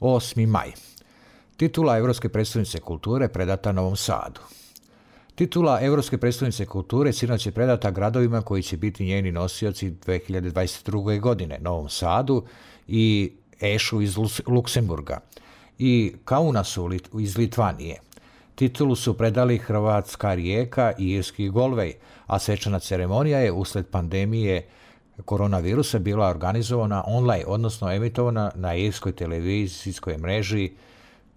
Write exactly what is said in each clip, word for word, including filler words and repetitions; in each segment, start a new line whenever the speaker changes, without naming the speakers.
osmi maj. Titula Europske predstavnice kulture predata Novom Sadu. Titula Europske predstavnice kulture sinoć je predata gradovima koji će biti njeni nosioci dve hiljade dvadeset druge. godine, Novom Sadu i Ešu iz Luksemburga i Kaunasu iz Litvanije. Titulu su predali hrvatska Rijeka i irski Galway, a svečana ceremonija je usled pandemije koronavirusa bila organizovana online, odnosno emitovana na irskoj televizijskoj mreži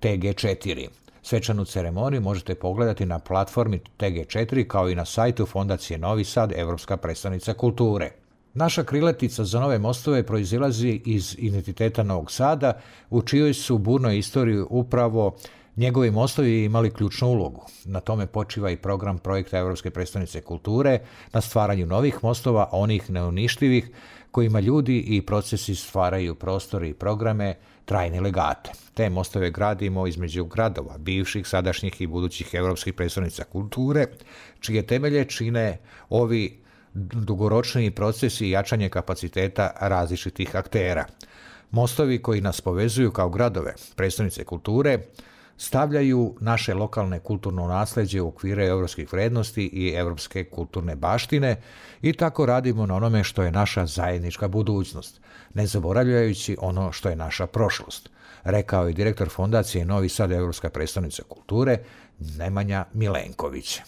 T G četiri. Svečanu ceremoniju možete pogledati na platformi T G četiri kao i na sajtu Fondacije Novi Sad, Europska predstavnica kulture. Naša krilatica za nove mostove proizilazi iz identiteta Novog Sada, u čijoj su burnoj istoriji upravo njegovi mostovi imali ključnu ulogu. Na tome počiva i program projekta Europske predstavnice kulture, na stvaranju novih mostova, onih neuništivih, kojima ljudi i procesi stvaraju prostore i programe, trajne legate. Te mostove gradimo između gradova, bivših, sadašnjih i budućih europskih predstavnica kulture, čije temelje čine ovi dugoročni procesi i jačanje kapaciteta različitih aktera. Mostovi koji nas povezuju kao gradove, predstavnice kulture, stavljaju naše lokalne kulturno nasleđe u okvire europskih vrednosti i europske kulturne baštine i tako radimo na onome što je naša zajednička budućnost, ne zaboravljajući ono što je naša prošlost, rekao je direktor Fondacije Novi Sad, Europska predstavnica kulture, Nemanja Milenković.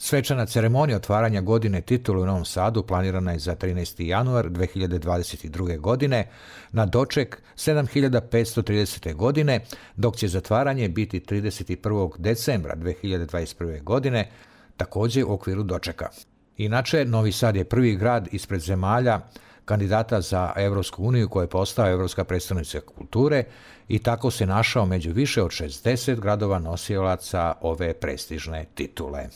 Svečana ceremonija otvaranja godine titulu u Novom Sadu planirana je za trinaesti januar dve hiljade dvadeset druge. godine na doček sedam hiljada petsto tridesete. godine, dok će zatvaranje biti trideset prvog decembra dve hiljade dvadeset prve. godine, također u okviru dočeka. Inače, Novi Sad je prvi grad ispred zemalja kandidata za Europsku uniju koja je postao Europska predstavnica kulture i tako se našao među više od šezdeset gradova nosilaca ove prestižne titule.